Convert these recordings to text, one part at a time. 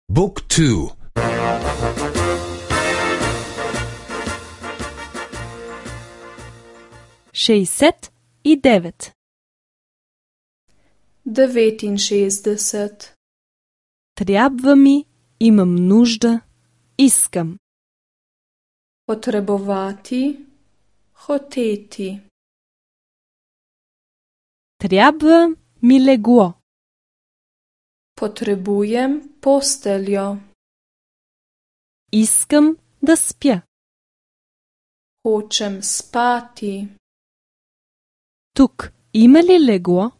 Book 2. 69. 69. Трябва ми, имам нужда, искам. Potrebovati, hoteti. Трябва ми легло. Potrebujem posteljo. Искам да спя. Hočem spati. Тук има ли легло?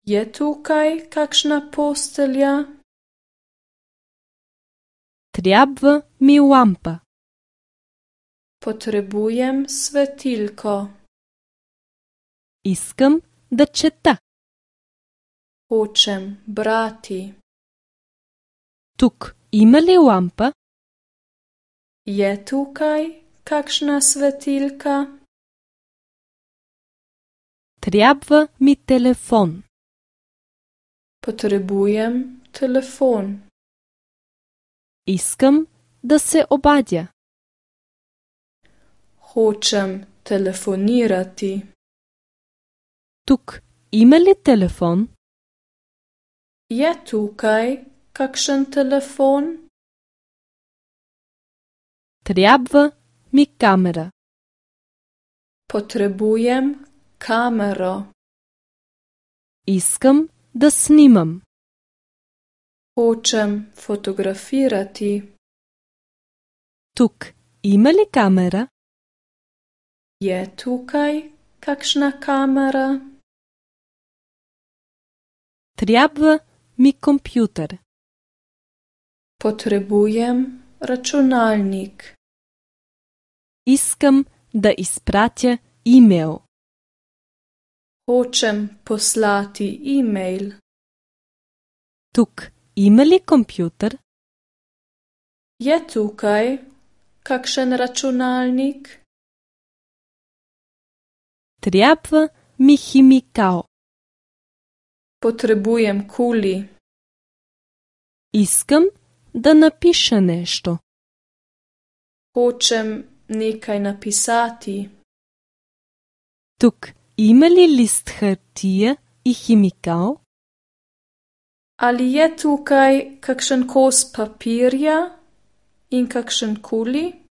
Je tukaj kakšna postelja? Трябва ми лампа. Potrebujem svetilko. Искам да чета. Hočem brati. Тук има ли лампа? Je tukaj kakšna svetilka? Трябва ми телефон. Potrebujem telefon. Искам да се обадя. Hočem telefonirati. Тук има ли телефон? Je tukaj kakšen telefon? Трябва ми камера. Potrebujem kamero. Искам да снимам. Hočem fotografirati. Тук има ли камера? Je tukaj kakšna kamera? Трябва ми компютър. Potrebujem računalnik. Искам да изпратя имейл. Hočem poslati e-mail. Тук има ли компютър? Je tukaj kakšen računalnik? Трябва ми химикал. Potrebujem kuli. Искам да напиша нещо. Hočem nekaj napisati. Тук има ли лист хартия и химикал? Ali je tukaj kakšen kos papirja in kakšen kuli?